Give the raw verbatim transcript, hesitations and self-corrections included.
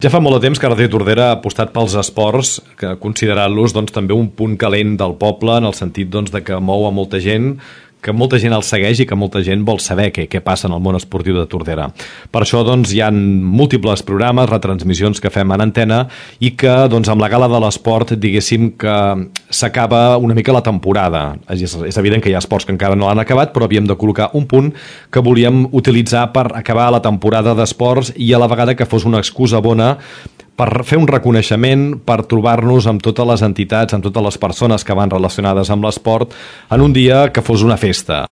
Ja fa molt de temps que Ràdio Tordera ha apostat pels esports, que considerant-los doncs, també un punt calent del poble, en el sentit doncs, de que mou a molta gent, que molta gent el segueix i que molta gent vol saber què, què passa en el món esportiu de Tordera. Per això doncs, hi ha múltiples programes, retransmissions que fem en antena i que doncs, amb la gala de l'esport diguéssim que s'acaba una mica la temporada. És, és evident que hi ha esports que encara no l'han acabat, però havíem de col·locar un punt que volíem utilitzar per acabar la temporada d'esports i a la vegada que fos una excusa bona per fer un reconeixement, per trobar-nos amb totes les entitats, amb totes les persones que van relacionades amb l'esport en un dia que fos una festa.